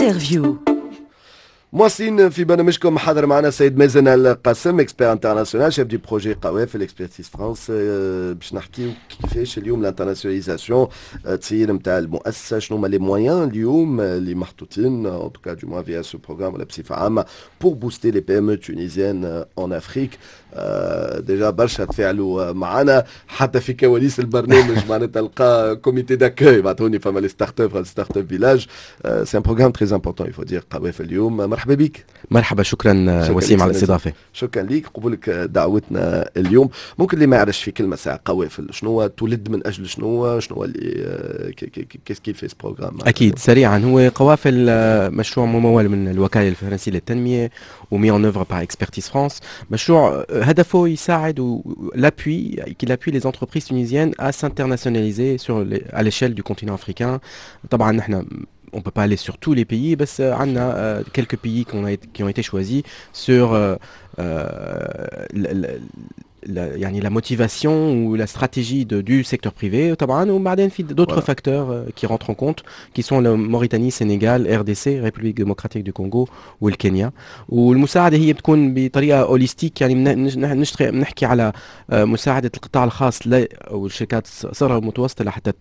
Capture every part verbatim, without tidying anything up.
Interview. مواصلين في برنامجكم، حاضر معنا السيد مازن القاسم، expert international، chef de projet قوافل Expertise France، باش نحكيو كيفاش اليوم l'internationalisation تصير نتاع المؤسسه، شنو هما les moyens اليوم اللي محطوطين، en tout cas du moins via ce programme ولا بصفة عامه، pour booster les PME tunisiennes en Afrique. déjà برشا تفاعلوا معنا حتى في كواليس البرنامج، معناتها تلقى comité d'accueil بعثوني فما les startups، startup village. c'est un programme très important، il faut dire. قوافل اليوم، مرحبا بك. مرحبا، شكرا وسيم على الاستضافه. شكرا لك قبولك دعوتنا اليوم. ممكن اللي ما يعرفش، في كلمة ساعه، قوافل شنو تولد من اجل شنو شنو اللي qu'est-ce qu'il fait ce programme؟ اكيد، سريعا، هو قوافل مشروع ممول من الوكالة الفرنسية للتنمية و mis en œuvre par Expertise France. مشروع هدفه يساعد l'appui qu'il appuie les entreprises tunisiennes à s'internationaliser sur les, à l'échelle du continent africain. طبعا نحن on peut pas aller sur tous les pays، بس عندنا quelques pays qui ont, qui ont été choisis sur euh, la, يعني la motivation ou la stratégie de, du secteur privé طبعا، وبعدين في d'autres voilà. facteurs qui rentrent en compte، qui sont la Mauritanie، Sénégal، RDC، République démocratique du Congo والكينيا. والمساعدة هي بتكون بطريقة holistique، يعني نشتغل بنحكي على مساعدة القطاع الخاص والشركات الصغيرة والمتوسطة لحتى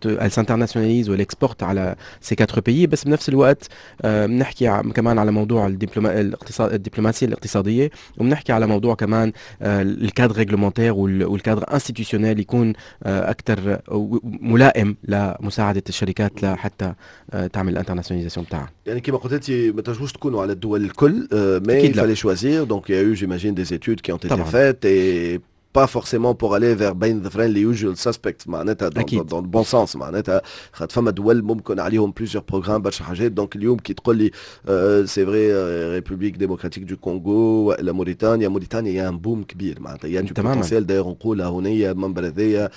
s'internationalise وال exporte على ces quatre pays، بس بنفس الوقت بنحكي كمان على موضوع الدبلوما الاقتصاد، الدبلوماسية الاقتصاديه، وبنحكي على موضوع كمان ال cadre réglementaire وال cadre institutionnel يكون اكثر ملائم لمساعده الشركات لحتى تعمل ال internationalisation بتاعها. يعني كما قلت انت، ما تنجموش تكونوا على الدول الكل، mais il fallait choisir، donc il y a eu، j'imagine، des études qui ont été faites et pas forcément pour aller vers بين ظفرين les usual suspects، معناتها dans, dans, dans le bon sens، معناتها خاطر فما دول ممكن عليهم plusieurs programmes، برشا حاجات. donc اليوم كي تقول لي c'est vrai République démocratique du Congo ولا موريتانيا، موريتانيا y a un boom كبير، معناتها y a du potentiel. d'ailleurs نقولها هنا منبر هذايا،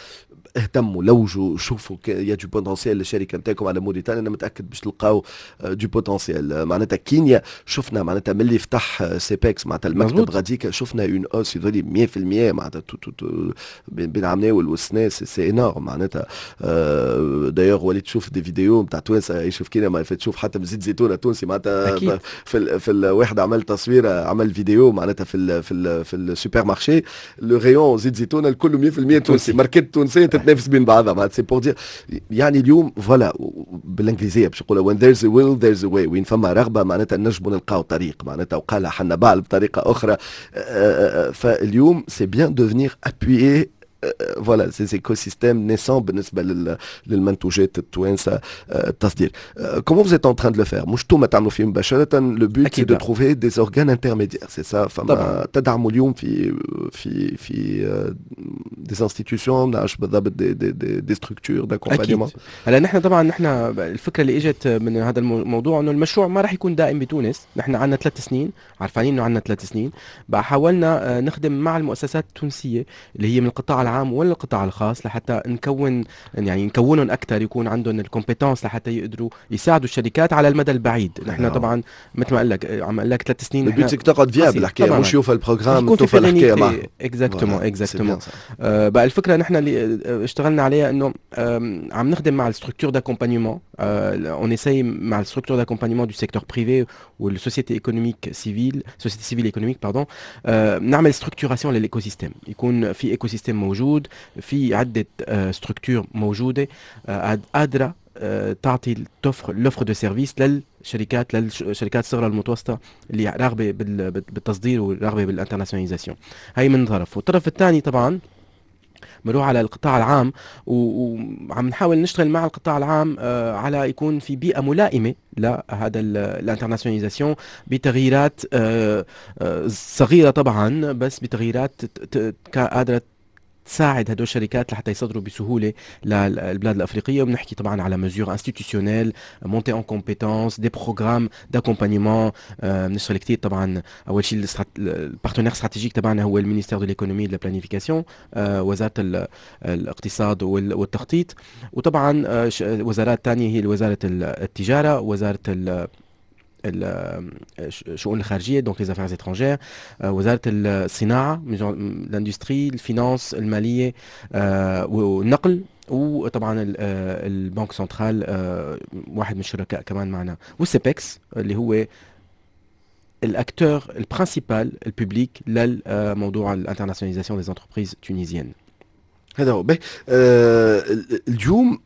اهتموا، لوجوا، شوفوا، y a du potentiel للشركة نتاعكم على موريتانيا، انا متاكد باش تلقاو du potentiel. معناتها كينيا شفنا، معناتها ملي فتح CEPEX، معناتها المكتب غاديك، شفنا une hausse يظهر مية في المية معناتها بين عامناول والسنه، c'est énorme. معناتها d'ailleurs وليت تشوف des vidéos نتاع توانسة يعيشوا في كينيا، ما تشوف حتى بزيت زيتونه تونسي معناتها في ال في الواحد عمل تصويره، عمل فيديو معناتها في ال في ال في ال supermarché، le rayon زيت زيتونه الكل مية في المية تونسي، ماركات تونسية تتنافس بين بعضها. معناتها c'est pour dire يعني اليوم voilà، بالانجليزية باش نقولها، when there's a will there's a way، وين فما رغبة معناتها نجموا نلقاو طريق، معناتها وقالها حنبعل بطريقة اخرى. فاليوم c'est bien de venir appuyer voilà ces écosystèmes naissants بالنسبة للمنتوجات التوانسه، التصدير. comment vous êtes en train de le faire؟ مش انتم تعملوا فيه مباشره، le but c'est de trouver des organes intermédiaires، c'est ça؟ فما تدعموا اليوم في في في des institutions، نعرفش بالضبط، des des des, des structures d'accompagnement؟ هلا نحن طبعا، نحن الفكرة اللي اجت من هذا الموضوع انه المشروع ما راح يكون دائم بتونس. نحن عندنا ثلاث سنين، عارفين انه عندنا ثلاث سنين، بقى حاولنا نخدم مع المؤسسات التونسية اللي هي من القطاع العام ولا القطاع الخاص لحتى نكون، يعني نكونهم اكثر، يكون عندهم ال compétences لحتى يقدروا يساعدوا الشركات على المدى البعيد. نحن نعم. طبعا مثل ما قال لك، عم اقول لك ثلاث سنين. ال but تقعد viable الحكايه، مش يوفى ال programme توفى الحكاية معه. exactement exactement. بقى الفكرة نحن اللي اشتغلنا عليها انه عم نخدم مع ال structures d'accompagnement، on essaye مع ال structures d'accompagnement du secteur privé وال société économique civile، société civile économique pardon، نعمل structuration لل écosystème، يكون في écosystème موجود، في عده structures موجودة قادرة تعطي t'offre l'offre de services للشركات للشركات الصغرى المتوسطة اللي راغبه بالتصدير وراغبه بال internationalisation. هي من طرف، والطرف الثاني طبعا بنروح على القطاع العام، وعم نحاول نشتغل مع القطاع العام آه، على يكون في بيئة ملائمه لهذا ال internationalisation بتغييرات آه، آه، صغيرة طبعا، بس بتغييرات قادرة تساعد هدول الشركات لحتى يصدروا بسهولة للبلاد الافريقيه. وبنحكي طبعا على mesures institutionnelles، montée en compétences، des programmes d'accompagnement. بنشتغل كثير طبعا. اول شيء ال partenaire stratégique تبعنا هو ال ministère de l'économie de la planification، وزارة الاقتصاد والتخطيط، وطبعا آه، وزارات ثانية هي وزارة التجاره، وزارة الشؤون الخارجيه، donc les affaires étrangères، وزارة الصناعه، l'industrie، ال finance، المالية والنقل. وطبعا ال banque centrale واحد من الشركاء كمان معنا، وال CEPEX اللي هو ال acteur ال principal ال public للموضوع ال internationalisation des entreprises tunisiennes. هذا هو به. آه اليوم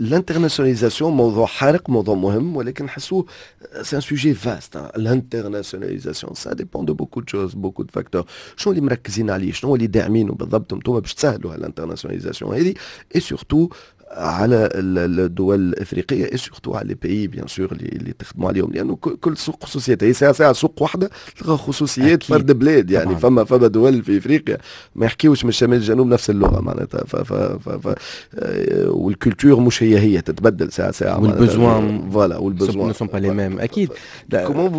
l'internationalisation موضوع حارق، موضوع مهم، ولكن نحسوه c'est un sujet vaste. l'internationalisation ça dépend de beaucoup de choses، beaucoup de facteurs. شنو اللي مركزين عليه؟ شنو اللي داعمينه بالضبط انتم باش تسهلوا l'internationalisation هذه، et surtout على الدول الافريقيه، et surtout على les pays bien sûr اللي, اللي تخدموا عليهم؟ لانه كل سوق خصوصيات، هي ساعة ساعة سوق واحدة تلقى خصوصيات فرد بلاد يعني طبعا. فما فما دول في افريقيا ما يحكيوش من الشمال للجنوب نفس اللغة معناتها، ف ف ف ف وال culture مش هي هي، تتبدل ساعة ساعه. وال besoins voilà، وال besoins ne sont pas les mêmes اكيد. comment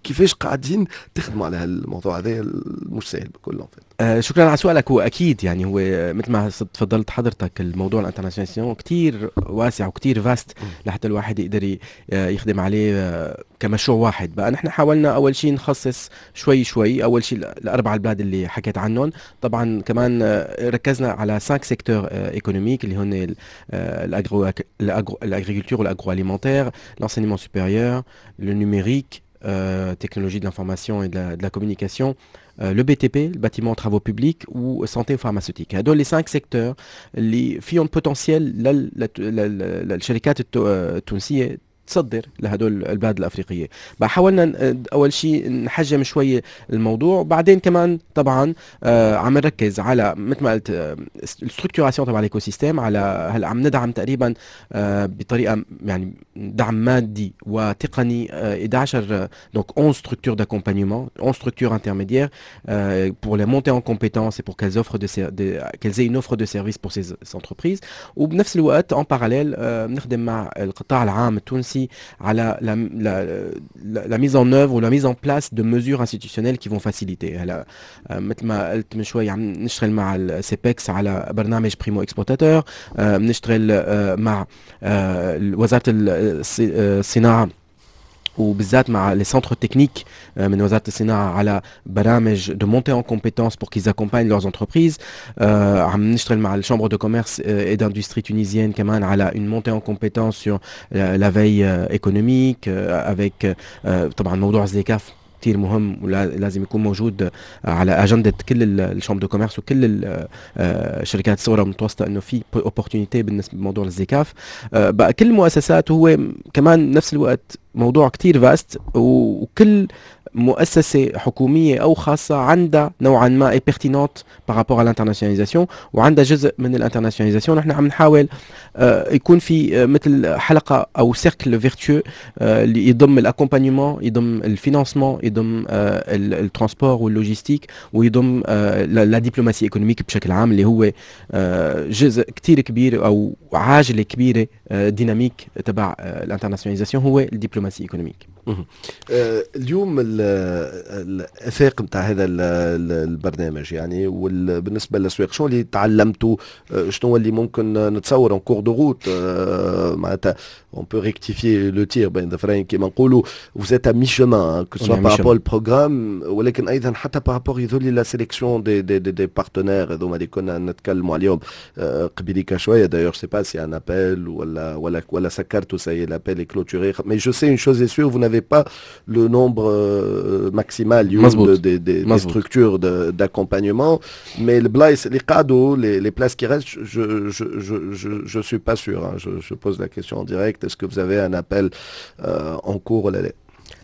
كيفاش قاعدين تخدموا على هالموضوع هذا؟ مش سهل بكل. آه شكرا على سؤالك. هو اكيد يعني هو مثل ما تفضلت حضرتك، الموضوع ال internationalisation كثير واسع وكثير vaste لحتى الواحد يقدر يخدم عليه آه، كمشروع واحد. بقى نحن حاولنا اول شيء نخصص شوي شوي، اول شيء الاربع البلاد اللي حكيت عنهم. طبعا كمان آه، ركزنا على خمسة secteurs économiques اللي هن l'agriculture وال agroalimentaire، l'enseignement supérieur، le numérique، technologie de l'information et de la, de la communication، euh, le B T P، le bâtiment travaux publics، و santé و pharmaceutique. هدول les cinq secteurs اللي فيهم potentiel للشركات التونسية تصدر لهدول البلاد الافريقيه. بقى حاولنا اول شيء نحجم شوي الموضوع، وبعدين كمان طبعا آه عم نركز على مثل ما قلت ال structuration تبع ال écosystème. على هلا عم ندعم تقريبا آه بطريقة يعني دعم مادي وتقني آه إحدى عشر، donc onze structures d'accompagnement، onze structures intermédiaires pour les monter en compétences et pour qu'elles offrent de, de qu'elles aient une offre de service pour ces entreprises. وبنفس الوقت en parallèle بنخدم مع القطاع العام التونسي على la, la, la, la mise en œuvre ou la mise en place de mesures institutionnelles qui vont faciliter. هلا مثل ما قلت من شوي، عم نشتغل مع ال CEPEX على برنامج primo exportateur، بنشتغل مع وزارة الصناعة وبالذات مع les centres techniques من وزارة الصناعة على برامج de montée en compétences pour qu'ils accompagnent leurs entreprises. عم نشتغل مع ال chambre de commerce et d'industrie tunisienne كمان على une montée en compétences sur la veille économique avec طبعا موضوع ZLECAF كثير مهم ولازم يكون موجود على اجندة كل ال chambres de commerce وكل الشركات الصغرى والمتوسطه، انه في opportunité بالنسبة لموضوع ال ZLECAF. بقى كل المؤسسات، هو كمان نفس الوقت موضوع كتير vaste، وكل مؤسسة حكومية او خاصة عندها نوعا ما est pertinente par rapport à l'internationalisation وعندها جزء من ال internationalisation. نحن عم نحاول آه، يكون في آه، مثل حلقة او cercle vertueux اللي يضم ال accompagnement، يضم ال financement، يضم ال transport وال logistique، ويضم la diplomatie économique بشكل عام، اللي هو آه، جزء كثير كبير او عاجله كبيرة dynamique تبع ال internationalisation هو ال diplomatie économique. آه، اليوم الافاق نتاع هذا البرنامج يعني، وبالنسبة للاسواق، شنو اللي تعلمتوا؟ آه، شنو اللي ممكن نتصور en cours de route معناتها on peut rectifier le tir بين ظفرين كيما نقولوا؟ vous êtes à mi-chemin، que ce soit par rapport au programme، ولكن ايضا حتى par rapport يظهر la sélection des des des, des partenaires هذوما اللي كنا نتكلموا عليهم قبيليك شويه. d'ailleurs je sais pas si un appel ولا ولا ولا سكرتوا، ça y est، l'appel est clôturé، mais je sais une chose est sûre، vous n'avez pas le nombre maximal de, des, des, des structures d'accompagnement، mais البلايص اللي قعدوا، les, les places qui restent، je je je je je suis pas sûr hein. je, je pose la question en direct، est-ce que vous avez un appel euh, en cours ولا لا؟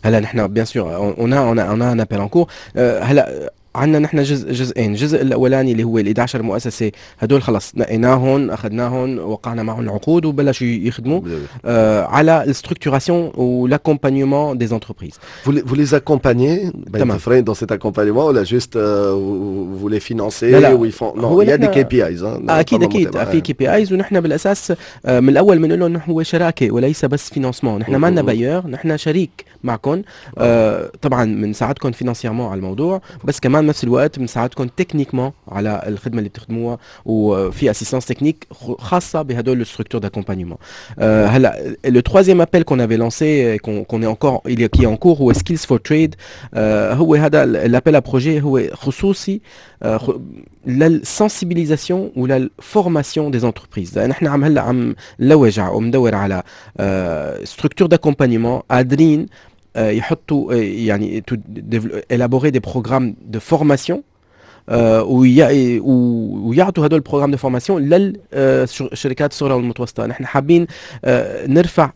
هلا نحن bien sûr on a on a on a un appel en cours. هلا عندنا نحن جزء جزئين، الجزء الاولاني اللي هو ال إحدى عشر مؤسسه، هدول خلص نقيناهم، اخذناهم، وقعنا معهم العقود وبلشوا يخدموا آه على ال structuration و l'accompagnement des entreprises. Vous les, vous les accompagnez تمام dans cet accompagnement ولا juste euh, vous, vous les financez؟ لا لا، ou ils font، non، il y a des K P Is hein؟ اكيد اكيد في K P Is، ونحن بالاساس آه، من الاول بنقول لهم هو شراكة وليس بس financement. نحن ما لنا bailleur، نحن شريك معكم. آه طبعا بنساعدكم financièrement على الموضوع، بس كمان وكمان نفس الوقت بنساعدكم techniquement على الخدمة اللي بتخدموها، وفي assistance technique خاصة بهدول les structures d'accompagnement. هلا le troisième appel qu'on avait lancé, qu'on qu'on est encore il est qui est en cours، هو Skills for Trade. هو هذا l'appel à projet هو خصوصي لل sensibilisation ولا formation des entreprises. نحن عم هلا عم نلوج ومندور على structures d'accompagnement قادرين يحطوا، يعني élaborer des programmes de formation ويعطوا هدول ال programmes de formation للشركات الصغرى والمتوسطه. نحن حابين نرفع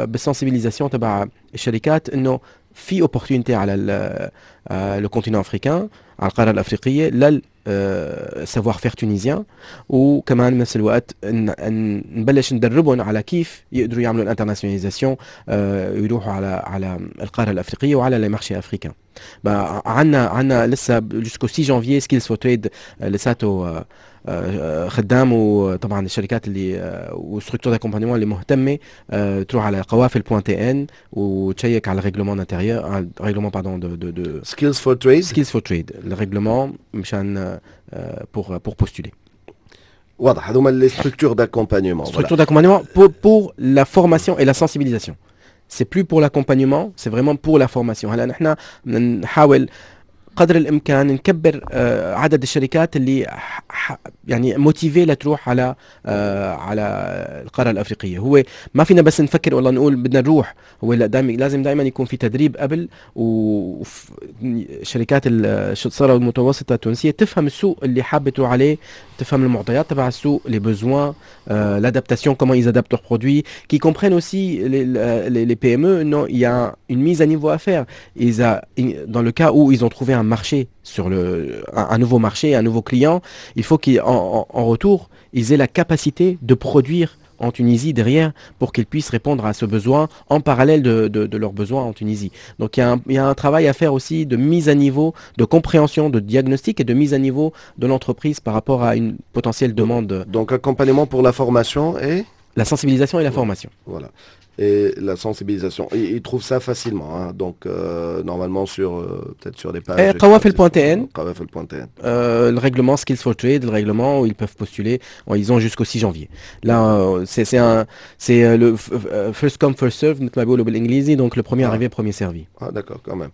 بال sensibilisation تبع الشركات انه في opportunité على le continent africain، على القارة الافريقيه، لل savoir-faire tunisien، وكمان بنفس الوقت نبلش ندربهم على كيف يقدروا يعملوا ال internationalisation، يروحوا على على القارة الافريقية وعلى les marchés africains. عندنا عندنا لسه jusqu'au six janvier Skills for Trade لساته خدام، وطبعا الشركات اللي و structures d'accompagnement اللي مهتمة تروح على قوافل point tn وتشيك على règlement intérieur، règlement، pardon، de de de Skills for Trade. Skills for Trade، ال règlement مشان pour pour postuler. واضح، هذوما les structures d'accompagnement. Structures d'accompagnement pour, pour la formation et la sensibilisation. C'est plus pour l'accompagnement, c'est vraiment pour la formation. هلا نحن نحاول قدر الامكان نكبر آه، عدد الشركات اللي يعني motivées لتروح على آه، على القارة الافريقيه. هو ما فينا بس نفكر والله نقول بدنا نروح، هو لا، دائما لازم دائما يكون في تدريب قبل، وشركات الصغرى والمتوسطة التونسية تفهم السوق اللي حابة تروح عليه، تفهم المعطيات تبع السوق، les besoins، l'adaptation، comment ils adaptent leurs produits، qu'ils comprennent aussi les, les, les P M E، non، il y a une mise à niveau à faire. Ils a, dans le cas où ils ont trouvé un marché sur le, un, un nouveau marché، un nouveau client، il faut qu'en en, en retour, ils aient la capacité de produire en Tunisie derrière pour qu'ils puissent répondre à ce besoin en parallèle de, de, de leurs besoins en Tunisie. Donc il y, a un, il y a un travail à faire aussi de mise à niveau، de compréhension، de diagnostic et de mise à niveau de l'entreprise par rapport à une potentielle demande. Donc accompagnement pour la formation et La sensibilisation et la formation. Voilà. Et la sensibilisation. Et ils trouvent ça facilement، hein. Donc euh, normalement sur euh, peut-être sur des pages. قوافل point T N. قوافل point T N. Euh, le règlement Skills for Trade، le règlement où ils peuvent postuler، ils ont jusqu'au six janvier. Là, euh, c'est c'est un c'est le first come first serve مثل ما بيقولوا بالانجليزي، donc le premier Ah. arrivé premier servi. اه d'accord، quand même.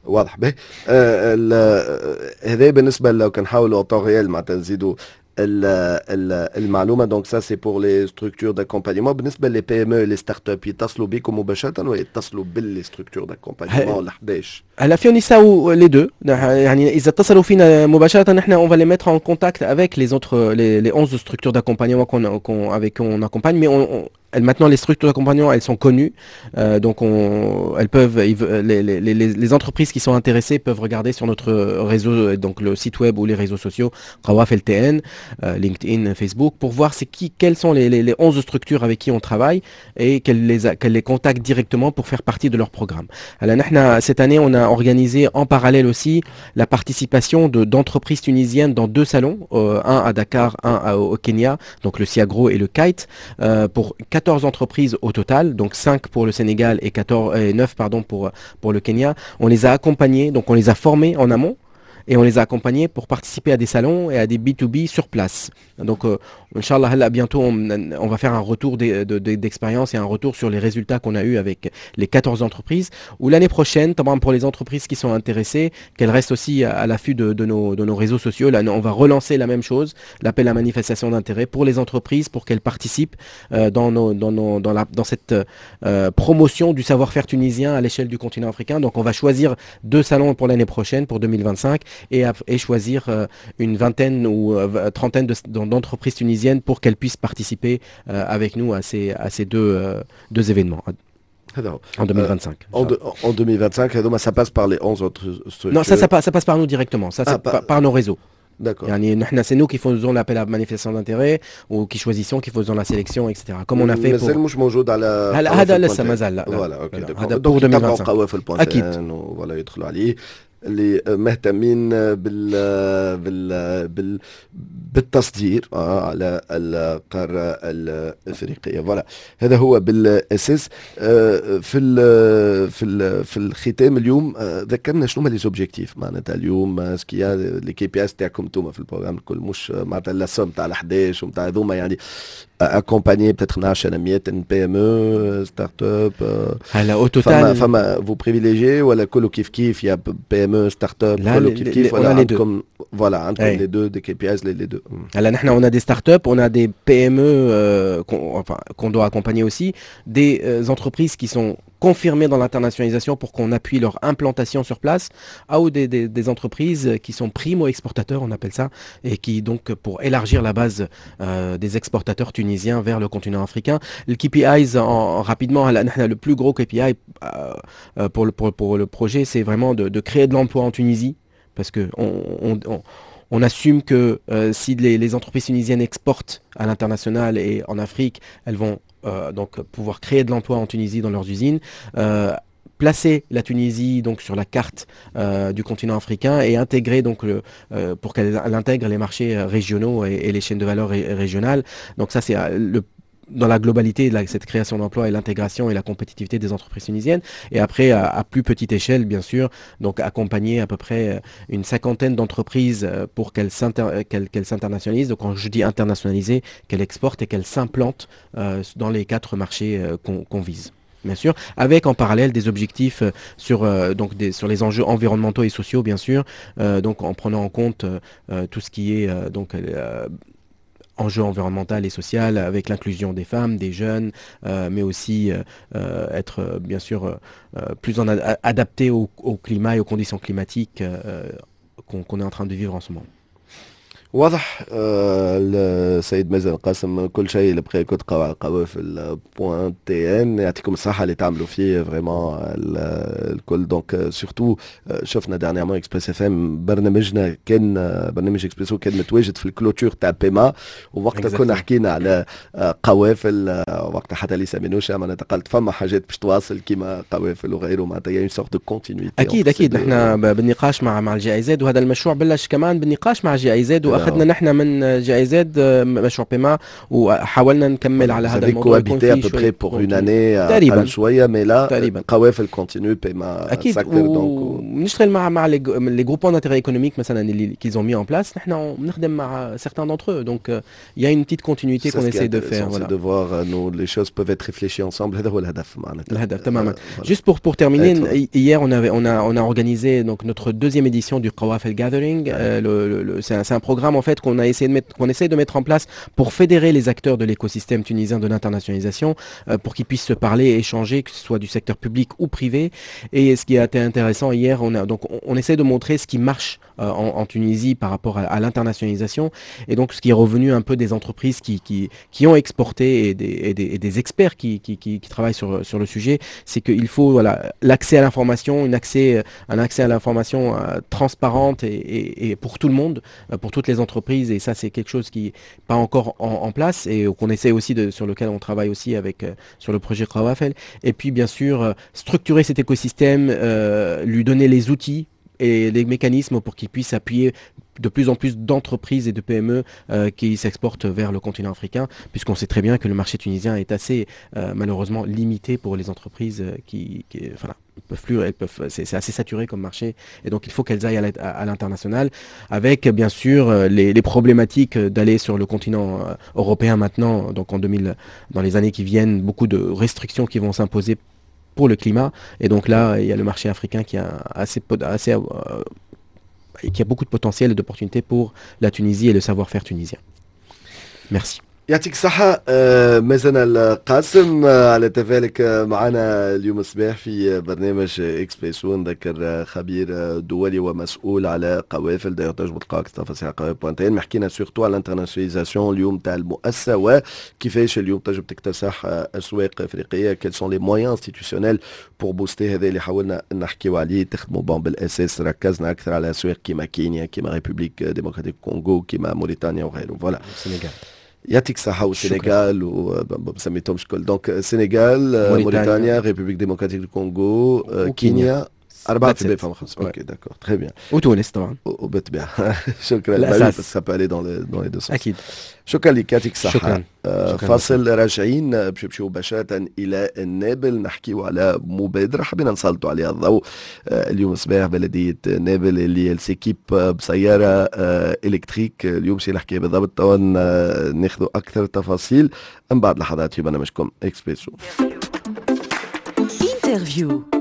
واضح به آه هذا بالنسبة لو كان نحاولوا en temps réel معناتها نزيدوا المعلومه. donc ça c'est pour les structures d'accompagnement. بالنسبة les PME، les startups، يتصلوا بكم مباشرة ويتصلوا بال les structures d'accompagnement ولا حداش؟ هلا فيهم يساووا les deux، يعني اذا اتصلوا فينا مباشرة نحن on va les mettre en contact avec les autres les, les onze structures d'accompagnement qu'on qu'on avec qui on accompagne، mais on, on maintenant les structures d'accompagnement، elles sont connues، euh, donc on, elles peuvent les, les, les, les entreprises qui sont intéressées peuvent regarder sur notre réseau، donc le site web ou les réseaux sociaux قوافل T N، euh, LinkedIn، Facebook، pour voir c'est qui quelles sont les, les, les onze structures avec qui on travaille et qu'elles les, qu'elles les contactent directement pour faire partie de leur programme. Alors cette année، on a organisé en parallèle aussi la participation de d'entreprises tunisiennes dans deux salons، euh, un à Dakar، un à, au Kenya، donc le Siagro et le Kite، euh, pour quatorze entreprises au total، donc cinq pour le Sénégal et quatorze, et neuf، pardon، pour, pour le Kenya. On les a accompagnés، donc on les a formés en amont et on les a accompagnés pour participer à des salons et à des B to B sur place. Donc, euh, إن شاء الله، هلا bientôt، on, on va faire un retour d'expérience et un retour sur les résultats qu'on a eu avec les quatorze entreprises. و l'année prochaine، طبعا pour les entreprises qui sont intéressées، qu'elles restent aussi à, l'affût de, de, nos, de nos réseaux sociaux. Là، on va relancer la même chose، l'appel à manifestation d'intérêt pour les entreprises، pour qu'elles participent euh, dans, nos, dans, nos, dans, la, dans cette euh, promotion du savoir-faire tunisien à l'échelle du continent africain. Donc، on va choisir deux salons pour l'année prochaine، pour deux mille vingt-cinq، et, et choisir euh, une vingtaine ou euh, trentaine d'entreprises tunisiennes pour qu'elles puissent participer euh, avec nous à ces, à ces deux, deux événements en deux mille vingt-cinq. En, en deux mille vingt-cinq، هذوما ça passe par les onze autres structures؟ Non، ça, ça, ça passe par nous directement. Ça، c'est ah، par, par nos réseaux. D'accord. يعني نحن c'est nous qui faisons l'appel à manifestation d'intérêt ou qui choisissons، qui faisons la sélection، et cetera. Comme on a fait pour مازال مش موجود على هلا هذا لسه مازال، لا. voilà، OK. هذا pour deux mille vingt-cinq. قوافل اكيد. voilà، يدخلوا عليه. اللي مهتمين بال بال بال بالتصدير آه، على القارة الافريقيه. voilà، هذا هو بالاساس. آه، في ال في ال في الختام اليوم آه، ذكرنا شنو هما les objectifs معناتها اليوم، ce qu'il y a les KPIs تاعكم انتوما في ال programme الكل، مش معناتها la somme تاع ال احداش ومتاع هذوما، يعني accompagner peut-être عشرة مية PME، start-up؟ هلا au total فما فما vous privilégiez ولا كله كيف كيف، يا PME، start-up، كله كيف كيف، ولا عندكم voilà عندكم les deux des KPIs les deux؟ هلا نحن on a des startups، on a des PME euh, qu'on enfin, qu'on doit accompagner aussi، des euh, entreprises qui sont confirmées dans l'internationalisation pour qu'on appuie leur implantation sur place، ou des, des, des entreprises qui sont primo-exportateurs، on appelle ça، et qui donc pour élargir la base euh, des exportateurs tunisiens vers le continent africain. Le K P Is, en, rapidement، le plus gros K P I euh, pour, le, pour, pour le projet، c'est vraiment de, de créer de l'emploi en Tunisie، parce que on, on, on on assume que euh, si les, les, entreprises tunisiennes exportent à l'international et en Afrique، elles vont euh, donc pouvoir créer de l'emploi en Tunisie dans leurs usines، euh, placer la Tunisie donc sur la carte euh, du continent africain et intégrer donc le, euh, pour qu'elle intègre les marchés régionaux et, et les chaînes de valeur régionales. Donc ça، c'est le dans la globalité de cette création d'emplois et l'intégration et la compétitivité des entreprises tunisiennes. Et après، à, à plus petite échelle، bien sûr، donc accompagner à peu près une cinquantaine d'entreprises pour qu'elles qu'elles s'internationalisent. Donc quand je dis internationaliser، qu'elles exportent et qu'elles s'implantent euh, dans les quatre marchés euh, qu'on qu'on vise bien sûr، avec en parallèle des objectifs sur, euh, donc des, sur les enjeux environnementaux et sociaux، bien sûr، euh, donc en prenant en compte euh, tout ce qui est donc enjeux environnemental et social avec l'inclusion des femmes، des jeunes، euh, mais aussi euh, être bien sûr euh, plus en adapté au, au climat et aux conditions climatiques qu'on qu'on est en train de vivre en ce moment. واضح آه، السيد مازن القاسم، كل شيء اللي بقى كنت على قوافل point tn. يعطيكم الصحة اللي تعملوا فيه vraiment الكل. donc surtout شفنا dernièrement Express FM، برنامجنا كان برنامج اكسبريسو كان متواجد في ال clôture تاع PEMA، ووقتها كنا حكينا على قوافل، وقتها حتى ليسا مينوشا معناتها قالت فما حاجات باش تواصل كيما قوافل وغيره، معناتها une sorte de continuité. اكيد اكيد، نحن بالنقاش مع مع ال GIZ، وهذا المشروع بلش كمان بالنقاش مع ال GIZ، واخذنا نحن من GIZ مشروع PEMA وحاولنا نكمل على هذا الموضوع. يكون في à peu près pour une année تقريبا شويه، mais là تقريبا قوافل continue، PEMA اكيد. ونشتغل مع مع les groupements d'intérêt économique مثلا اللي qu'ils ont mis en place، نحن بنخدم مع certains d'entre eux، donc il y a une petite continuité qu'on essaie de faire. voilà، de voir nous les choses peuvent être réfléchies ensemble، هذا هو الهدف معناتها. الهدف تماما. juste pour pour terminer، hier on avait on a on a organisé donc notre deuxième édition du Qawafel Gathering. euh, le, le, c'est un, un programme en fait qu'on a essayé de mettre qu'on essaie de mettre en place pour fédérer les acteurs de l'écosystème tunisien de l'internationalisation، euh, pour qu'ils puissent se parler، échanger، que ce soit du secteur public ou privé. Et ce qui a été intéressant hier، on a donc on, on essaie de montrer ce qui marche euh, en, en Tunisie par rapport à, à l'internationalisation et donc ce qui est revenu un peu des entreprises qui, qui, qui ont exporté et des, et des, et des experts qui, qui, qui, qui travaillent sur, sur le sujet، c'est qu'il faut voilà l'accès à l'information، une accès, un accès à l'information euh, transparente et, et, et pour tout le monde، euh, pour toutes les entreprises. Et ça، c'est quelque chose qui n'est pas encore en, en place et qu'on essaie aussi de, sur lequel on travaille aussi avec euh, sur le projet Qawafel. Et puis bien sûr euh, structurer cet écosystème، euh, lui donner les outils et les mécanismes pour qu'il puisse appuyer de plus en plus d'entreprises et de P M E euh, qui s'exportent vers le continent africain، puisqu'on sait très bien que le marché tunisien est assez euh, malheureusement limité pour les entreprises qui, qui enfin, peuvent plus، elles peuvent، c'est assez saturé comme marché، et donc il faut qu'elles aillent à l'international، avec bien sûr les, les problématiques d'aller sur le continent européen maintenant، donc en deux mille، dans les années qui viennent، beaucoup de restrictions qui vont s'imposer pour le climat، et donc là، il y a le marché africain qui a assez، assez euh, qui a beaucoup de potentiel et d'opportunités pour la Tunisie et le savoir-faire tunisien. Merci. يعطيك الصحة آه، مازن القاسم آه، على تفاعلك معنا اليوم الصباح في برنامج اكسبريسو. نذكر خبير دولي ومسؤول على قوافل. d'ailleurs تنجموا تلقاو اكثر تفاصيل على قوافل point tn. حكينا surtout على l'internationalisation اليوم تاع المؤسسة وكيفاش اليوم تنجم تكتسح اسواق افريقية، quels sont les moyens institutionnels pour booster، هذا اللي حاولنا نحكيو عليه. تخدموا bon بالاساس ركزنا اكثر على اسواق كيما كينيا، كيما République démocratique Congo، كيما موريتانيا وغيره. voilà. السنغال. يعطيك الصحة، والسنغال و سميتهمش كل، donc السنغال، موريتانيا، République démocratique du Congo، كينيا. خمس. أربعة في فما خمس، OK، d'accord، très bien. وتونس طبعا. وبالطبيعه شكرا. الاساس ça peut aller dans dans les deux sens. اكيد. شكرا لك، يعطيك الصحه. شكرا. آه فاصل، راجعين باش نمشيو مباشرة إلى النابل، نحكيو على مبادرة حبينا نسلطوا عليها الضوء آه اليوم صباح، بلدية نابل اللي s'équipe بسيارة آه électrique. اليوم شي نحكي بالضبط، توا ناخذوا أكثر تفاصيل من بعد لحظات في برنامجكم اكسبريسو. interview.